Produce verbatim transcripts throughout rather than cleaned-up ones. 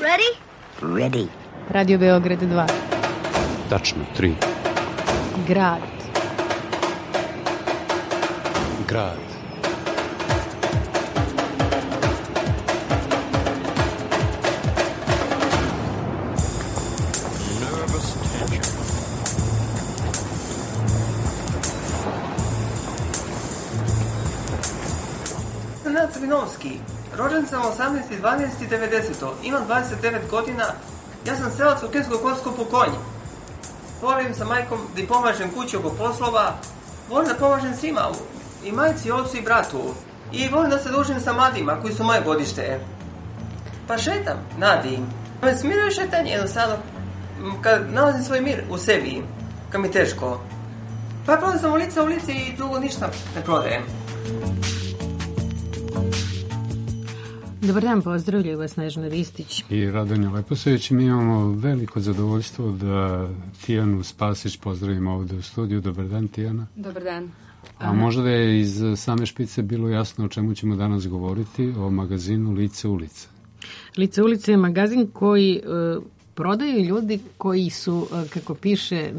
Ready? Ready. Radio Beograd dva. Tačno tri. Grad. Grad. Nenad Crvinovski. Rođen sam osamnaesti dvanaesti devedesetog. Imam dvadeset devet godina. Ja sam selac u Kesko-Korsko po konji. Volim sa majkom da i pomažem kući oko poslova. Volim da pomažem svima. I majci, ocu i bratu. I volim da se družim sa mladima koji su moje godište. Pa šetam, nadim. Me smiruje šetanje jednostavno. Kad nalazim svoj mir u sebi. Kad mi teško. Pa prodam sam ulica u ulici i drugo ništa ne prodajem. Dobar dan, pozdravljaju vas Snežana Ristić i Radonja Leposević. Mi imamo veliko zadovoljstvo da Tijanu Spasić pozdravimo ovde u studiju. Dobar dan, Tijana. Dobar dan. A možda da je iz same špice bilo jasno o čemu ćemo danas govoriti, o magazinu Lice ulice. Lice ulice je magazin koji uh, prodaju ljudi koji su, uh, kako piše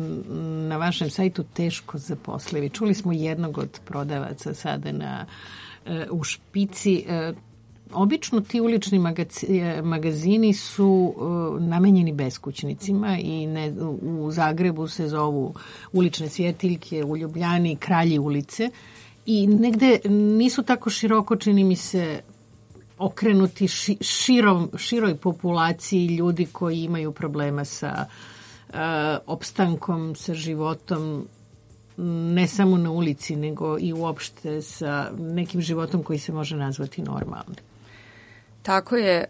na vašem sajtu, teško zaposlivi. Čuli smo jednog od prodavaca sada na, uh, u špici. Uh, Obično ti ulični magazini su uh, namenjeni beskućnicima i ne, u Zagrebu se zovu ulične svjetiljke, u Ljubljani kralji ulice i negde nisu tako široko, čini mi se, okrenuti ši, širom, široj populaciji ljudi koji imaju problema sa uh, opstankom, sa životom, ne samo na ulici, nego i uopšte sa nekim životom koji se može nazvati normalnim. Tako je,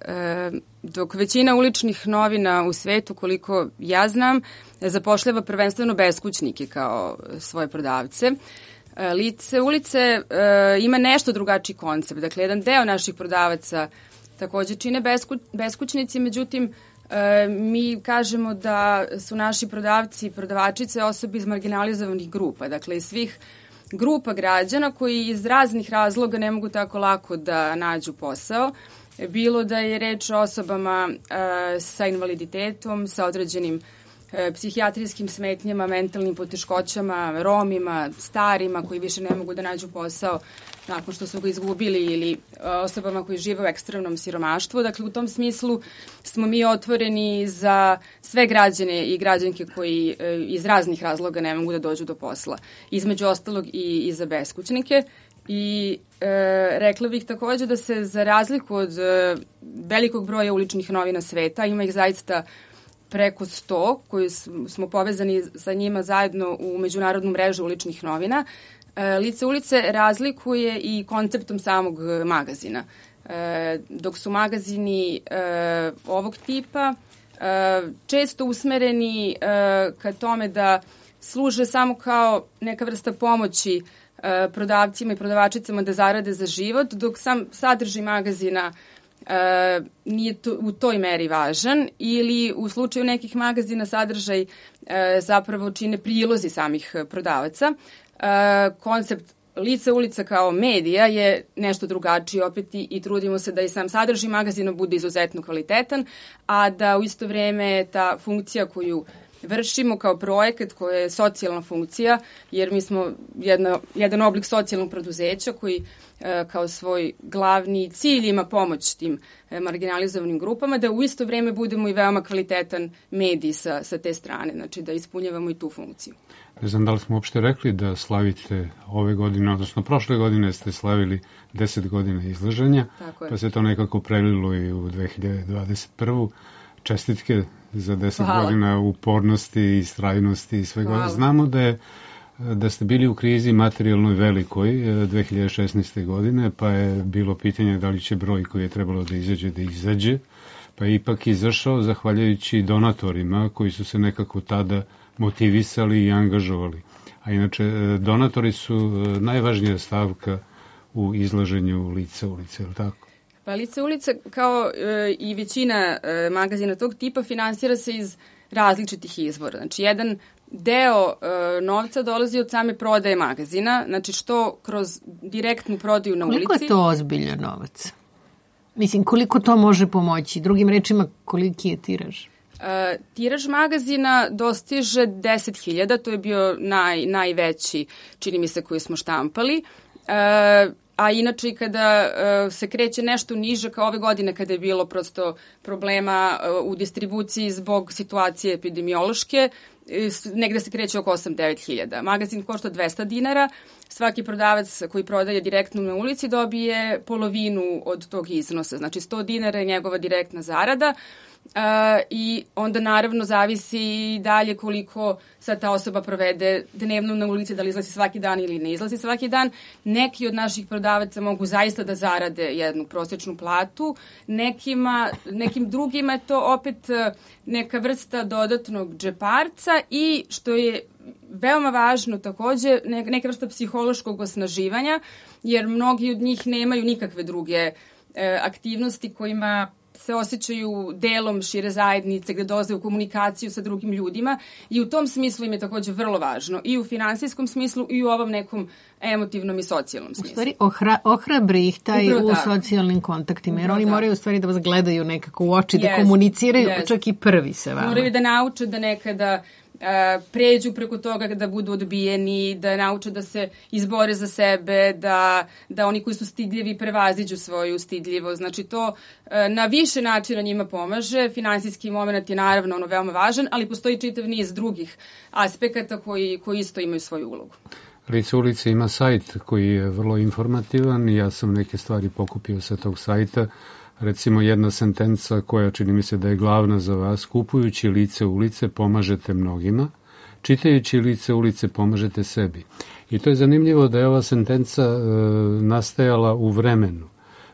dok većina uličnih novina u svetu, koliko ja znam, zapošljava prvenstveno beskućnike kao svoje prodavce. Lice ulice ima nešto drugačiji koncept. Dakle, jedan deo naših prodavaca takođe čine besku, beskućnici, međutim, mi kažemo da su naši prodavci i prodavačice osobe iz marginalizovanih grupa, dakle iz svih grupa građana koji iz raznih razloga ne mogu tako lako da nađu posao. Bilo da je reč o osobama e, sa invaliditetom, sa određenim e, psihijatrijskim smetnjama, mentalnim poteškoćama, Romima, starima koji više ne mogu da nađu posao nakon što su ga izgubili ili e, osobama koji žive u ekstremnom siromaštvu. Dakle, u tom smislu smo mi otvoreni za sve građane i građanke koji e, iz raznih razloga ne mogu da dođu do posla. Između ostalog i, i za beskućnike. I e, rekla bih takođe da se za razliku od e, velikog broja uličnih novina sveta, ima ih zaista preko sto koji smo povezani sa njima zajedno u međunarodnu mrežu uličnih novina, e, Lice ulice razlikuje i konceptom samog magazina. E, dok su magazini e, ovog tipa e, često usmereni e, ka tome da služe samo kao neka vrsta pomoći prodavcima i prodavačicama da zarade za život, dok sam sadržaj magazina e, nije to, u toj meri važan ili u slučaju nekih magazina sadržaj e, zapravo čine prilozi samih prodavaca. E, koncept Lice ulica kao medija je nešto drugačiji opet i, i trudimo se da i sam sadržaj magazina bude izuzetno kvalitetan, a da u isto vreme ta funkcija koju vršimo kao projekat koja je socijalna funkcija, jer mi smo jedna, jedan oblik socijalnog preduzeća koji e, kao svoj glavni cilj ima pomoć tim e, marginalizovanim grupama, da u isto vreme budemo i veoma kvalitetan medij sa, sa te strane, znači da ispunjavamo i tu funkciju. Ne znam da li smo uopšte rekli da slavite ove godine, odnosno prošle godine ste slavili deset godina izlaženja, pa se to nekako prelilo i u dve hiljade dvadeset prvu. Čestitke za deset Hvala. Godina upornosti, istrajnosti i svega. Hvala. Znamo da je da ste bili u krizi materijalnoj velikoj dve hiljade šesnaeste. godine, pa je bilo pitanje da li će broj koji je trebalo da izađe, da izađe, pa je ipak izašao zahvaljujući donatorima koji su se nekako tada motivisali i angažovali. A inače, donatori su najvažnija stavka u izlaženju Lica ulice, je li tako? Pa Lice ulice, kao e, i većina e, magazina tog tipa, finansira se iz različitih izvora. Znači, jedan deo e, novca dolazi od same prodaje magazina, znači što kroz direktnu prodaju na ulici. Koliko je to ozbiljan novac? Mislim, koliko to može pomoći? Drugim rečima, koliki je tiraž? Uh, tiraž magazina dostiže deset hiljada, to je bio naj, najveći, čini mi se, koji smo štampali. Uh, a inače i kada uh, se kreće nešto niže, kao ove godine kada je bilo prosto problema uh, u distribuciji zbog situacije epidemiološke, negde se kreće oko osam do devet hiljada. Magazin košta dvesta dinara, svaki prodavac koji prodaje direktno na ulici dobije polovinu od tog iznosa, znači sto dinara je njegova direktna zarada. Uh, i onda naravno zavisi i dalje koliko sad ta osoba provede dnevno na ulici, da li izlazi svaki dan ili ne izlazi svaki dan. Neki od naših prodavaca mogu zaista da zarade jednu prosječnu platu, nekima, nekim drugima je to opet neka vrsta dodatnog džeparca i što je veoma važno takođe, neka vrsta psihološkog osnaživanja, jer mnogi od njih nemaju nikakve druge e, aktivnosti kojima se osjećaju delom šire zajednice, gde dolaze u komunikaciju sa drugim ljudima i u tom smislu im je takođe vrlo važno i u finansijskom smislu i u ovom nekom emotivnom i socijalnom smislu. U stvari ohra, ohrabri ih taj Upravo u tako. socijalnim kontaktima, jer Upravo oni moraju u stvari da vas gledaju nekako u oči, yes, da komuniciraju yes. čak i prvi se vama. Moraju da nauče da nekada Uh, pređu preko toga da budu odbijeni, da nauče da se izbore za sebe, da, da oni koji su stidljivi prevaziđu svoju stidljivost. Znači to uh, na više načina njima pomaže. Finansijski moment je naravno ono veoma važan, ali postoji čitav niz drugih aspekata koji, koji isto imaju svoju ulogu. Lice ulice ima sajt koji je vrlo informativan i ja sam neke stvari pokupio sa tog sajta. Recimo jedna sentenca koja čini mi se da je glavna za vas: kupujući lice ulice pomažete mnogima, čitajući lice ulice pomažete sebi. I to je zanimljivo da je ova sentenca e, nastajala u vremenu.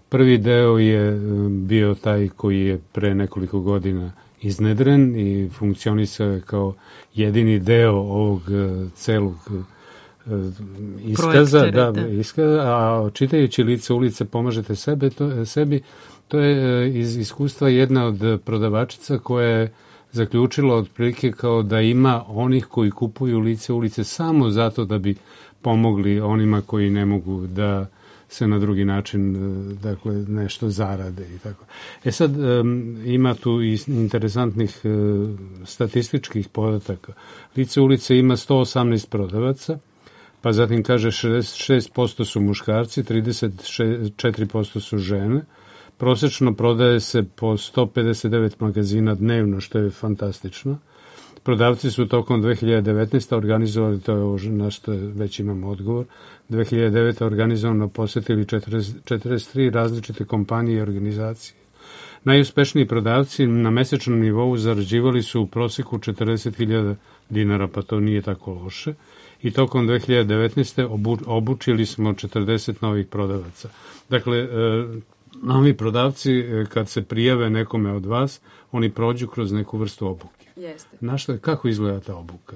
Prvi deo je bio taj koji je pre nekoliko godina iznedren i funkcionisao je kao jedini deo ovog e, celog e, iskaza, da, iskaza, a čitajući lice ulice pomažete sebe, to, sebi. To je iz iskustva jedna od prodavačica koja je zaključila otprilike kao da ima onih koji kupuju lice ulice samo zato da bi pomogli onima koji ne mogu da se na drugi način, dakle, nešto zarade i tako. E sad, ima tu i interesantnih statističkih podataka. Lice ulice ima sto osamnaest prodavaca, pa zatim kaže šezdeset šest posto su muškarci, trideset četiri posto su žene. Prosečno prodaje se po sto pedeset devet magazina dnevno, što je fantastično. Prodavci su tokom dve hiljade devetnaeste. organizovali, to je ovo na što već imamo odgovor, dve hiljade devete. organizovano posetili četrdeset tri različite kompanije i organizacije. Najuspešniji prodavci na mesečnom nivou zarađivali su u proseku četrdeset hiljada dinara, pa to nije tako loše. I tokom dve hiljade devetnaeste. Obu, obučili smo četrdeset novih prodavaca. Dakle, e, novi prodavci, kad se prijave nekome od vas, oni prođu kroz neku vrstu obuke. Jeste. Na što, kako izgleda ta obuka?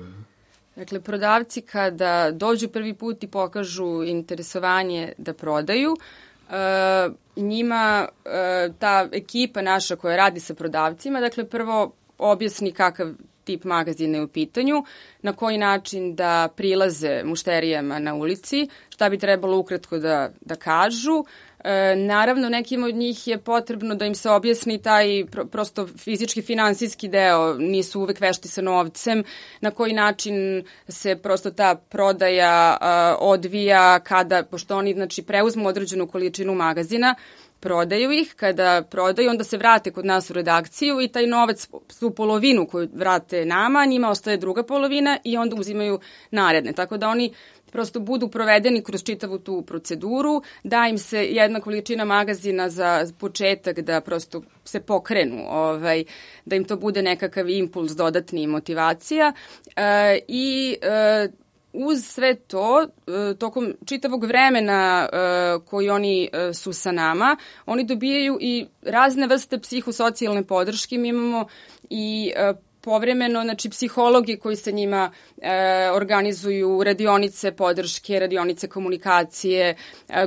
Dakle, prodavci kada dođu prvi put i pokažu interesovanje da prodaju, e, njima e, ta ekipa naša koja radi sa prodavcima, dakle, prvo objasni kakav tip magazina je u pitanju, na koji način da prilaze mušterijama na ulici, šta bi trebalo ukratko da, da kažu. E, naravno, nekim od njih je potrebno da im se objasni taj pro, prosto fizički, finansijski deo, nisu uvek vešti sa novcem, na koji način se prosto ta prodaja a, odvija kada, pošto oni znači, preuzmu određenu količinu magazina, prodaju ih, kada prodaju, onda se vrate kod nas u redakciju i taj novac, tu polovinu koju vrate nama, njima ostaje druga polovina i onda uzimaju naredne. Tako da oni prosto budu provedeni kroz čitavu tu proceduru, da im se jedna količina magazina za početak da prosto se pokrenu, ovaj, da im to bude nekakav impuls, dodatni motivacija e, i e, uz sve to, tokom čitavog vremena koji oni su sa nama, oni dobijaju i razne vrste psihosocijalne podrške. Mi imamo i povremeno, znači psihologi koji sa njima e, organizuju radionice podrške, radionice komunikacije, e,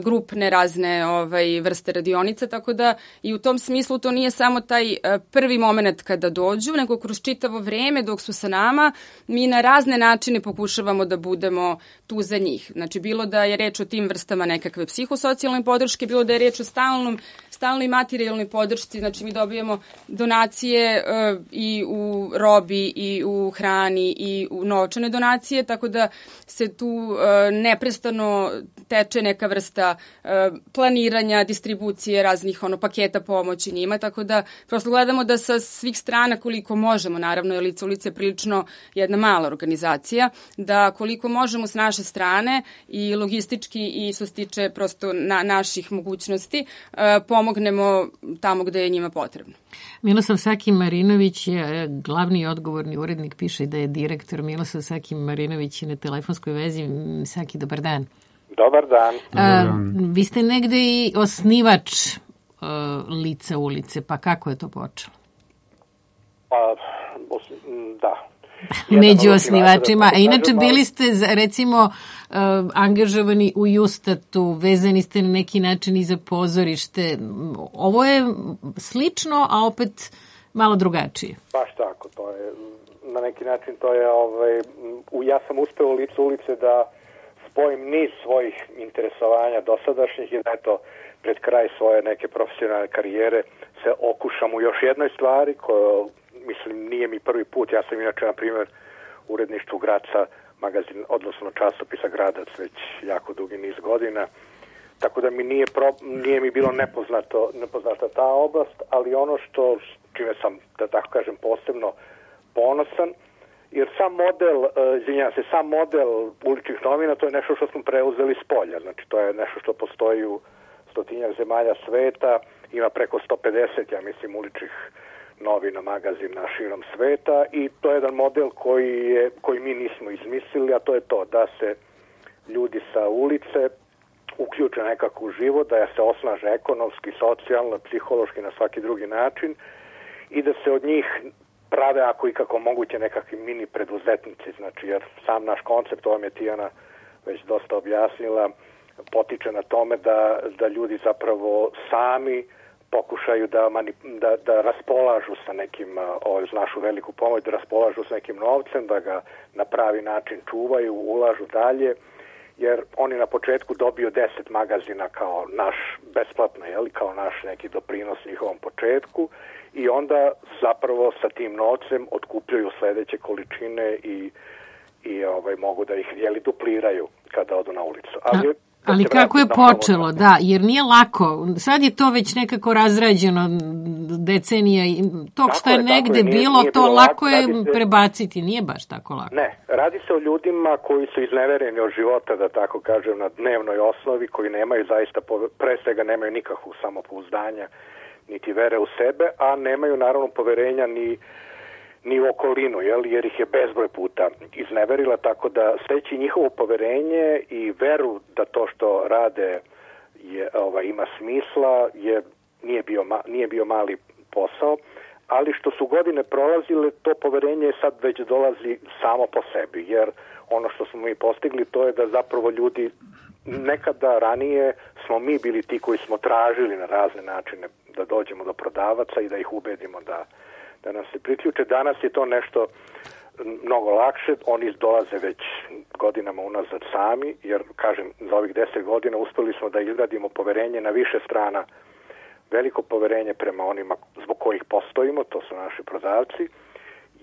grupne razne ovaj, vrste radionica, tako da i u tom smislu to nije samo taj e, prvi moment kada dođu, nego kroz čitavo vreme dok su sa nama, mi na razne načine pokušavamo da budemo tu za njih. Znači, bilo da je reč o tim vrstama nekakve psihosocijalne podrške, bilo da je reč o stalnom, stalnoj materijalnoj podršci, znači mi dobijamo donacije uh, i u robi, i u hrani, i u novčane donacije, tako da se tu uh, neprestano teče neka vrsta uh, planiranja, distribucije raznih ono, paketa pomoći njima, tako da prosto gledamo da sa svih strana koliko možemo, naravno je Lice ulice prilično jedna mala organizacija, da koliko možemo s naše strane i logistički i što se tiče prosto na, naših mogućnosti uh, pomognemo tamo gde je njima potrebno. Milosav Sakim Marinović je glavni i odgovorni urednik, piše da je direktor. Milosav Sakim Marinović je na telefonskoj vezi. Saki, dobar dan. Dobar dan. A, vi ste negde i osnivač uh, Lica ulice, pa kako je to počelo? Pa, da. Među osnivačima. A inače bili ste, recimo, angažovani u Justatu, vezani ste na neki način i za pozorište. Ovo je slično, a opet malo drugačije. Baš tako. To je, na neki način to je, ovaj, ja sam uspeo u Licu ulice da spojim niz svojih interesovanja dosadašnjih i da eto, pred kraj svoje neke profesionalne karijere se okušam u još jednoj stvari koja, mislim, nije mi prvi put. Ja sam inače, na primjer, uredništvu Graca, magazin, odnosno časopisa Gradac već jako dugi niz godina. Tako da mi nije, pro, nije mi bilo nepoznato, nepoznata ta oblast, ali ono što, čime sam, da tako kažem, posebno ponosan, jer sam model, izvinjavam se, sam model uličnih novina, to je nešto što smo preuzeli s polja. Znači, to je nešto što postoji u stotinjak zemalja sveta, ima preko sto pedeset, ja mislim, uličnih novina, magazina širom sveta i to je jedan model koji, je, koji mi nismo izmislili, a to je to da se ljudi sa ulice uključe nekako u život, da se osnaže ekonomski, socijalno, psihološki, na svaki drugi način i da se od njih prave ako i kako moguće nekakvi mini preduzetnici, znači jer sam naš koncept, ovo je Tijana već dosta objasnila, potiče na tome da, da ljudi zapravo sami pokušaju da, mani, da, da raspolažu sa nekim, ovo uz našu veliku pomoć, da raspolažu sa nekim novcem, da ga na pravi način čuvaju, ulažu dalje, jer oni na početku dobiju deset magazina kao naš, besplatno, jeli, kao naš neki doprinos njihovom početku i onda zapravo sa tim novcem otkupljaju sledeće količine i, i ovaj, mogu da ih jeli, dupliraju kada odu na ulicu. Ali Ali kako je počelo, da, jer nije lako. Sad je to već nekako razrađeno decenija i tog što je negde bilo, to lako je prebaciti, nije baš tako lako. Ne, radi se o ljudima koji su iznevereni od života, da tako kažem, na dnevnoj osnovi, koji nemaju zaista, pre svega nemaju nikakvu samopouzdanja, niti vere u sebe, a nemaju naravno poverenja ni ni u okolinu, jel, jer ih je bezbroj puta izneverila, tako da steći njihovo poverenje i veru da to što rade je, ovaj, ima smisla, je, nije, bio, nije bio mali posao, ali što su godine prolazile, to poverenje sad već dolazi samo po sebi, jer ono što smo mi postigli to je da zapravo ljudi, nekada ranije smo mi bili ti koji smo tražili na razne načine da dođemo do prodavaca i da ih ubedimo da da nam se priključe. Danas je to nešto mnogo lakše, oni dolaze već godinama unazad sami, jer, kažem, za ovih deset godina uspeli smo da izgradimo poverenje na više strana, veliko poverenje prema onima zbog kojih postojimo, to su naši prodavci,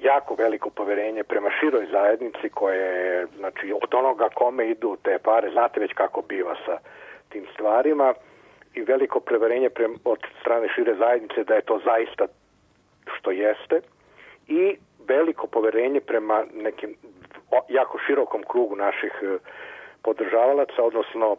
jako veliko poverenje prema široj zajednici koje, znači, od onoga kome idu te pare, znate već kako biva sa tim stvarima, i veliko poverenje prema, od strane šire zajednice da je to zaista što jeste i veliko poverenje prema nekim jako širokom krugu naših podržavalaca, odnosno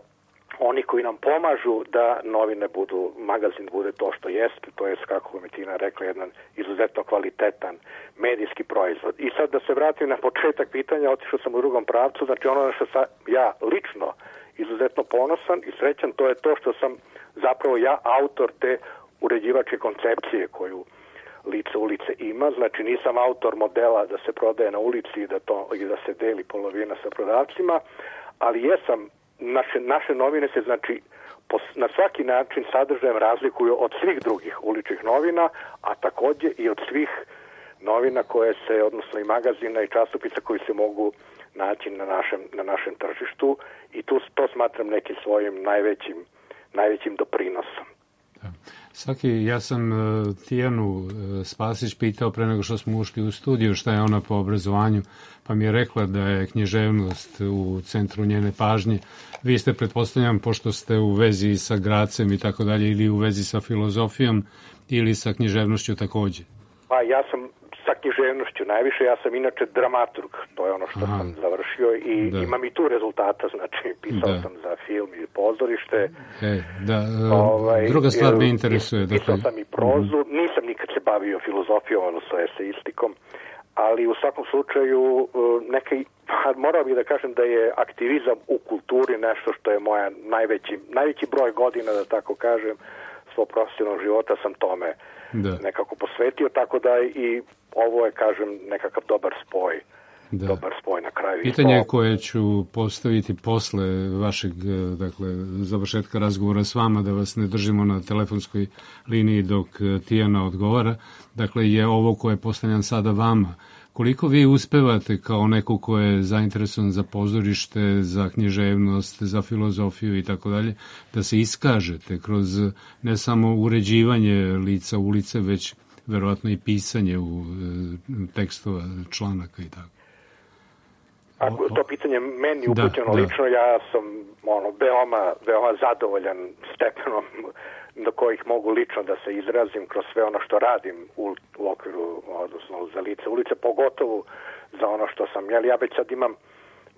oni koji nam pomažu da novine budu, magazin bude to što jeste, to je, kako mi Tina rekla, jedan izuzetno kvalitetan medijski proizvod. I sad da se vratim na početak pitanja, otišao sam u drugom pravcu, znači ono što sam ja lično izuzetno ponosan i srećan, to je to što sam zapravo ja autor te uređivačke koncepcije koju lice ulice ima. Znači nisam autor modela da se prodaje na ulici i da, to, i da se deli polovina sa prodavcima, ali jesam, naše, naše novine se znači na svaki način sadržajem razlikuju od svih drugih uličnih novina, a takođe i od svih novina koje se, odnosno i magazina i časopisa koji se mogu naći na našem, na našem tržištu i tu to smatram nekim svojim najvećim, najvećim doprinosom. Da. Svaki, ja sam uh, Tijanu uh, Spasić pitao pre nego što smo ušli u studiju šta je ona po obrazovanju, pa mi je rekla da je književnost u centru njene pažnje. Vi ste, pretpostavljam, pošto ste u vezi sa Gracem i tako dalje, ili u vezi sa filozofijom, ili sa književnošću takođe? Pa ja sam sa književnošću najviše, ja sam inače dramaturg, to je ono što Aha. sam završio i da. imam i tu rezultata, znači pisao da. sam za film i pozorište. E, da, ovaj, druga stvar me interesuje. Pisao sam i prozu, uh-huh. nisam nikad se bavio filozofijom, odnosno eseistikom, ali u svakom slučaju neka, morao bih da kažem da je aktivizam u kulturi nešto što je moja najveći, najveći broj godina, da tako kažem, svog profesionalnog života sam tome da. nekako posvetio, tako da i ovo je, kažem, nekakav dobar spoj. Da. Dobar spoj na kraju. Pitanje koje ću postaviti posle vašeg, dakle, završetka razgovora s vama, da vas ne držimo na telefonskoj liniji dok Tijana odgovara, dakle, je ovo koje postavljam sada vama. Koliko vi uspevate kao neko ko je zainteresovan za pozorište, za književnost, za filozofiju i tako dalje, da se iskažete kroz ne samo uređivanje lica ulice, već verovatno i pisanje u tekstova, članaka i tako? Ako to pitanje meni upućeno da, lično, da. ja sam ono, veoma, veoma zadovoljan stepenom do kojih mogu lično da se izrazim kroz sve ono što radim u, u okviru, odnosno za lice ulice, pogotovo za ono što sam, jel, ja već sad imam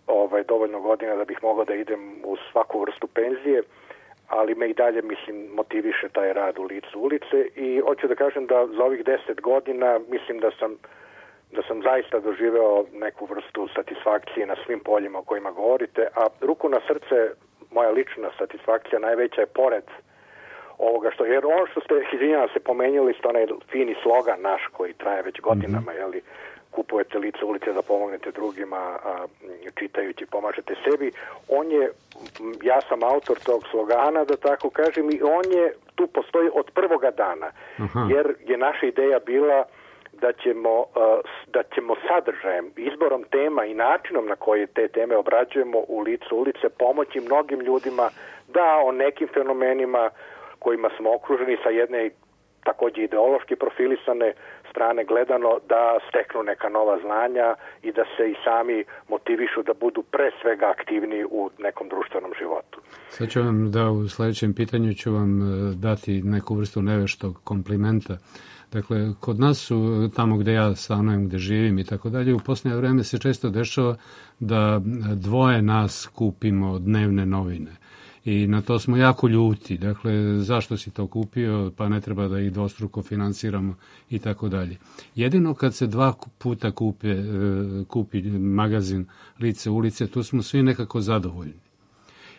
ovaj, dovoljno godina da bih mogao da idem u svaku vrstu penzije, ali me i dalje, mislim, motiviše taj rad u licu ulice i hoću da kažem da za ovih deset godina mislim da sam da sam zaista doživeo neku vrstu satisfakcije na svim poljima o kojima govorite, a ruku na srce, moja lična satisfakcija najveća je pored ovoga što, jer ono što ste, izvinjavam se, pomenjali ste onaj fini slogan naš koji traje već godinama, mm-hmm. jeli, kupujete lice ulice da pomognete drugima, a čitajući pomažete sebi. On je, ja sam autor tog slogana, da tako kažem, i on je, tu postoji od prvoga dana, Aha. jer je naša ideja bila da ćemo, da ćemo sadržajem, izborom tema i načinom na koji te teme obrađujemo u licu ulice pomoći mnogim ljudima da o nekim fenomenima kojima smo okruženi sa jedne takođe ideološki profilisane strane gledano da steknu neka nova znanja i da se i sami motivišu da budu pre svega aktivni u nekom društvenom životu. Sad ću vam da u sledećem pitanju ću vam dati neku vrstu neveštog komplimenta. Dakle, kod nas su, tamo gde ja stanujem, gde živim i tako dalje, u posljednje vreme se često dešava da dvoje nas kupimo dnevne novine. I na to smo jako ljuti. Dakle, zašto si to kupio, pa ne treba da ih dvostruko finansiramo i tako dalje. Jedino kad se dva puta kupe, kupi magazin Lice ulice, tu smo svi nekako zadovoljni.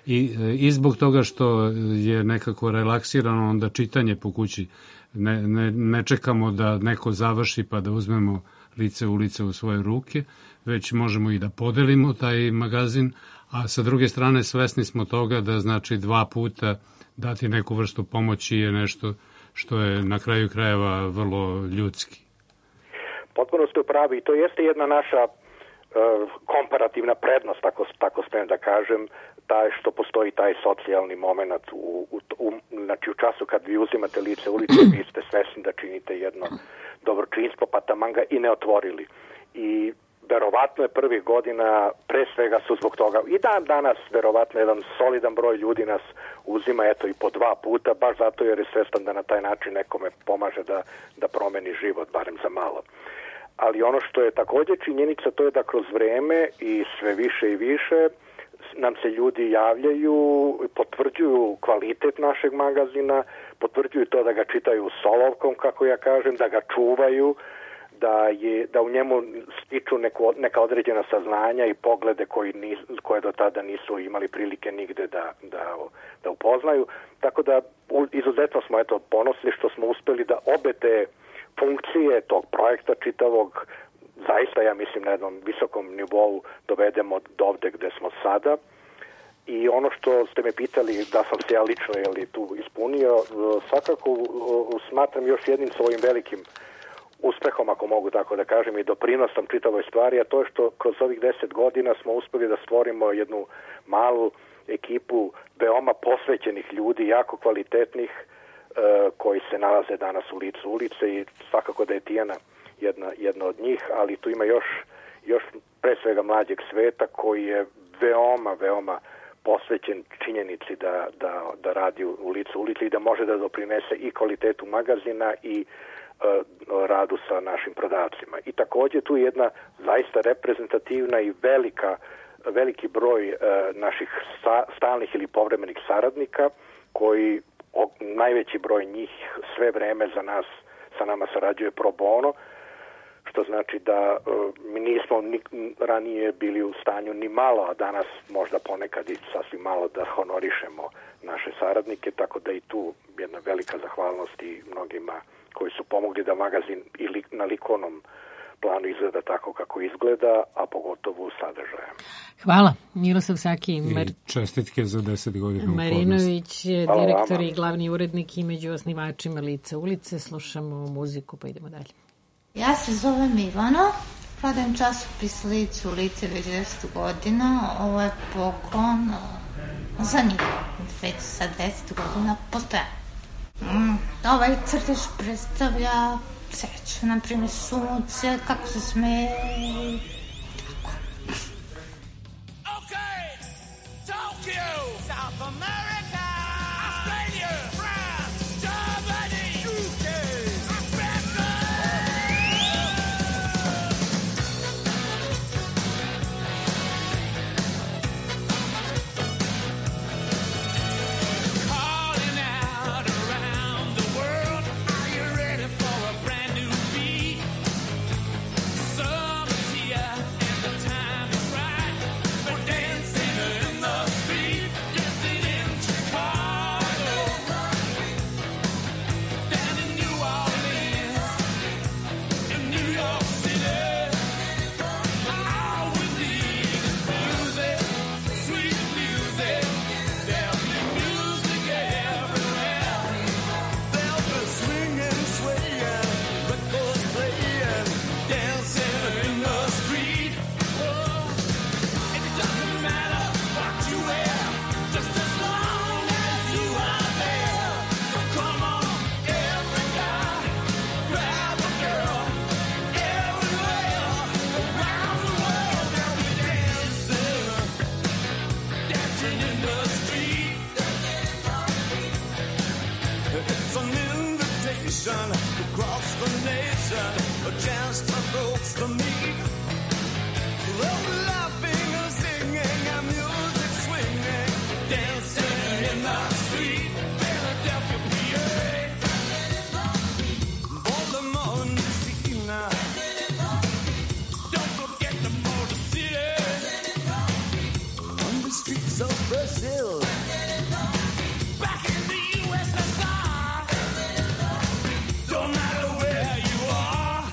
I, i zbog toga što je nekako relaksirano onda čitanje po kući. Ne, ne, ne čekamo da neko završi pa da uzmemo Lice ulice u svoje ruke, već možemo i da podelimo taj magazin, a sa druge strane svesni smo toga da znači dva puta dati neku vrstu pomoći je nešto što je na kraju krajeva vrlo ljudski. Potpuno ste u pravi i to jeste jedna naša uh, komparativna prednost, tako, tako smijem da kažem, taj što postoji taj socijalni moment u, u, u, znači u času kad vi uzimate Lice ulice, vi ste svesni da činite jedno dobročinstvo, pa taman ga i ne otvorili. I verovatno je prvih godina, pre svega su zbog toga, i dan danas verovatno jedan solidan broj ljudi nas uzima eto i po dva puta, baš zato jer je svestan da na taj način nekome pomaže da, da promeni život, barem za malo. Ali ono što je takođe činjenica, to je da kroz vreme i sve više i više nam se ljudi javljaju, potvrđuju kvalitet našeg magazina, potvrđuju to da ga čitaju solovkom, kako ja kažem, da ga čuvaju, da je da u njemu stiču neko, neka određena saznanja i poglede koji nis, koje do tada nisu imali prilike nigde da, da, da upoznaju. Tako da izuzetno smo eto ponosni što smo uspeli da obe te funkcije tog projekta čitavog zaista, ja mislim, na jednom visokom nivou dovedemo do ovde gde smo sada. I ono što ste me pitali da sam se ja lično jeli, tu ispunio, svakako smatram još jednim svojim velikim uspehom, ako mogu tako da kažem, i doprinosom čitavoj stvari, a to je što kroz ovih deset godina smo uspeli da stvorimo jednu malu ekipu veoma posvećenih ljudi, jako kvalitetnih, koji se nalaze danas u licu ulice i svakako da je Tijana jedna, jedna od njih, ali tu ima još, još pre svega mlađeg sveta koji je veoma, veoma posvećen činjenici da, da, da radi u licu ulici i da može da doprinese i kvalitetu magazina i uh, radu sa našim prodavcima. I takođe tu je jedna zaista reprezentativna i velika, veliki broj uh, naših sta, stalnih ili povremenih saradnika koji o, najveći broj njih sve vreme za nas, sa nama sarađuje pro bono, što znači da uh, mi nismo ni, ranije bili u stanju ni malo, a danas možda ponekad i sasvim malo da honorišemo naše saradnike, tako da i tu jedna velika zahvalnost i mnogima koji su pomogli da magazin i li, na likovnom planu izgleda tako kako izgleda, a pogotovo u sadržajem. Hvala. Miroslav Saki. Mar... I čestitke za deset godina. Marinović je direktor i glavni urednik i među osnivačima Lica ulice. Slušamo muziku pa idemo dalje. Ja se zovem Ivano, prodajem časopis Lice ulice već deset godina. Ovo je poklon za njih. Već sa deset godina postoja. Mm, ovaj crtež predstavlja sreću, na primjer sunce, kako se smeje, tako. Okay, Tokyo, South America, Australia, France, Germany, U K, Africa. Calling out around the world, are you ready for a brand new beat? Summer's here and the time is right. We're dancing in the street, dancing in Chicago, down in New Orleans, in New York City. All we need is music, sweet music. There'll be music everywhere. There'll be swinging, swaying, records playing, dancing in the street. Oh, it doesn't matter what you wear, just as long as you are there. So come on, every guy, grab a girl, everywhere, around the world they'll be dancing, dancing in the street. It's an invitation across the nation, a chance for folks to meet. They'll be laughing and singing and music swinging, dancing in the street. Philadelphia, P A, Baltimore, Louisiana. Don't forget the Motor City, on the streets of Brazil. Back in the U S S R, don't matter where you are,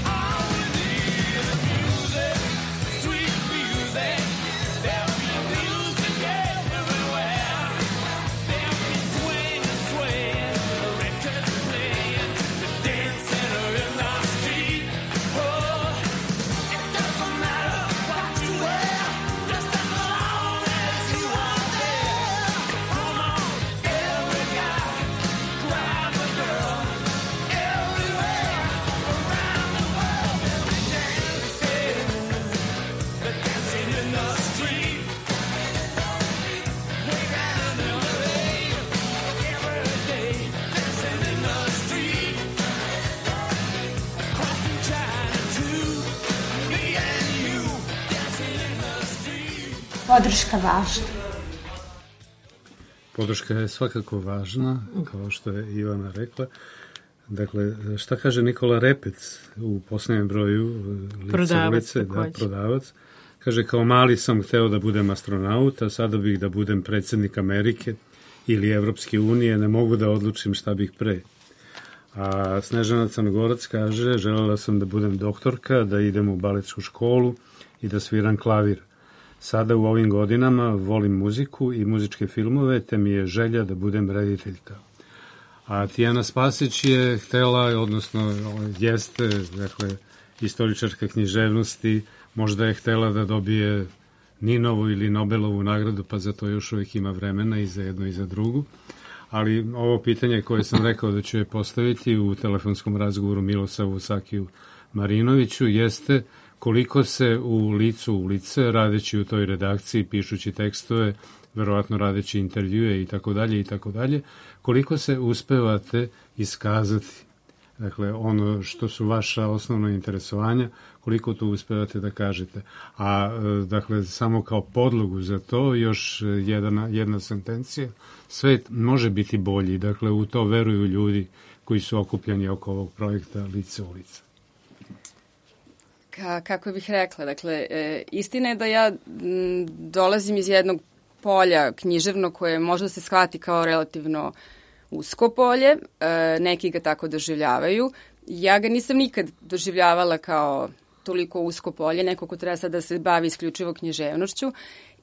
all we need is music, sweet music. There'll be music everywhere. There'll be swinging, swaying, records playing, dancing in the street. Oh, it doesn't matter what you wear, just as long as you are there. Come on, every guy, grab a girl, everywhere, around the world they'll be dancing, they're dancing in the street. Way down in L A, every day, dancing in the street. Crossing China too, me and you, dancing in the street. Podrška važna. Podrška je svakako važna, kao što je Ivana rekla. Dakle, šta kaže Nikola Repec u posljednjem broju Lica Prodavac, ulice, da, takođe. prodavac. Kaže, kao mali sam hteo da budem astronaut, a sada bih da budem predsjednik Amerike ili Evropske unije, ne mogu da odlučim šta bih pre. A Snežana Crnogorac kaže, želela sam da budem doktorka, da idem u baletsku školu i da sviram klavir. Sada u ovim godinama volim muziku i muzičke filmove, te mi je želja da budem rediteljka. A Tijana Spasić je htela, odnosno jeste, dakle, istoričarka književnosti, možda je htela da dobije Ninovu ili Nobelovu nagradu, pa za to još uvijek ima vremena i za jednu i za drugu. Ali ovo pitanje koje sam rekao da ću je postaviti u telefonskom razgovoru Milosavu Sakiju Marinoviću jeste koliko se u licu ulice, radeći u toj redakciji, pišući tekstove, verovatno radeći intervjue i tako dalje i tako dalje, koliko se uspevate iskazati, dakle, ono što su vaša osnovna interesovanja, koliko to uspevate da kažete. A, dakle, samo kao podlogu za to, još jedna, jedna sentencija, svet može biti bolji, dakle, u to veruju ljudi koji su okupljeni oko ovog projekta Lice ulica. Ka, kako bih rekla, dakle, e, istina je da ja m, dolazim iz jednog polja književno koje možda se shvati kao relativno usko polje, e, neki ga tako doživljavaju. Ja ga nisam nikad doživljavala kao toliko usko polje, neko ko treba sad da se bavi isključivo književnošću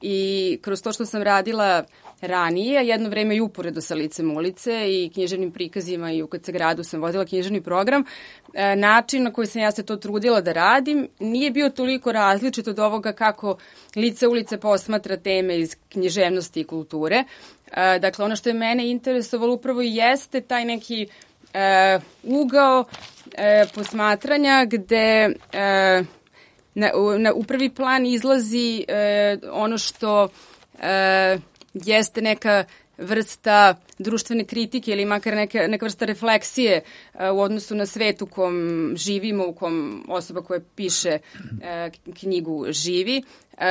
i kroz to što sam radila ranije, jedno vreme i uporedo sa Licem ulice i književnim prikazima i u K C gradu sam vodila književni program, e, način na koji sam ja se to trudila da radim nije bio toliko različit od ovoga kako Lice ulice posmatra teme iz književnosti i kulture. E, dakle, ono što je mene interesovalo upravo jeste taj neki e, ugao e, posmatranja gde e, na, na, u prvi plan izlazi e, ono što e, jeste neka vrsta društvene kritike ili makar neka, neka vrsta refleksije uh, u odnosu na svet u kom živimo, u kom osoba koja piše uh, knjigu živi. Uh,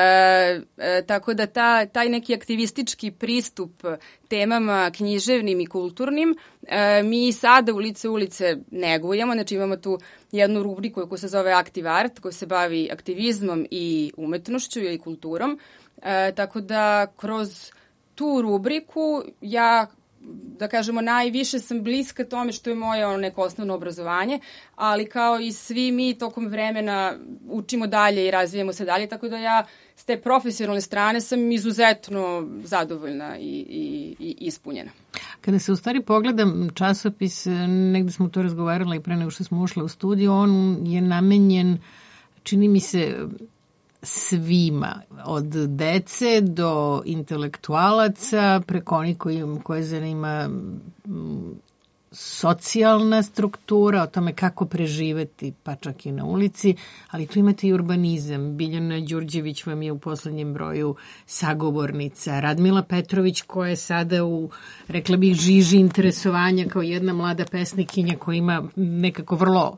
uh, tako da ta, taj neki aktivistički pristup temama književnim i kulturnim uh, mi sada u Lice ulice negujemo. Znači imamo tu jednu rubriku koja se zove Active Art, koja se bavi aktivizmom i umetnošću i kulturom. Uh, tako da kroz tu rubriku ja, da kažemo, najviše sam bliska tome što je moje ono neko osnovno obrazovanje, ali kao i svi mi tokom vremena učimo dalje i razvijemo se dalje, tako da ja s te profesionalne strane sam izuzetno zadovoljna i, i, i ispunjena. Kada se u stvari pogledam časopis, negde smo to razgovarali pre nego što smo ušli u studiju, on je namenjen, čini mi se, svima, od dece do intelektualaca, preko onih koji, koje zanima socijalna struktura, o tome kako preživeti, pa čak i na ulici, ali tu imate i urbanizam. Biljana Đurđević vam je u poslednjem broju sagovornica. Radmila Petrović, koja je sada u, rekla bih, žiži interesovanja kao jedna mlada pesnikinja koja ima nekako vrlo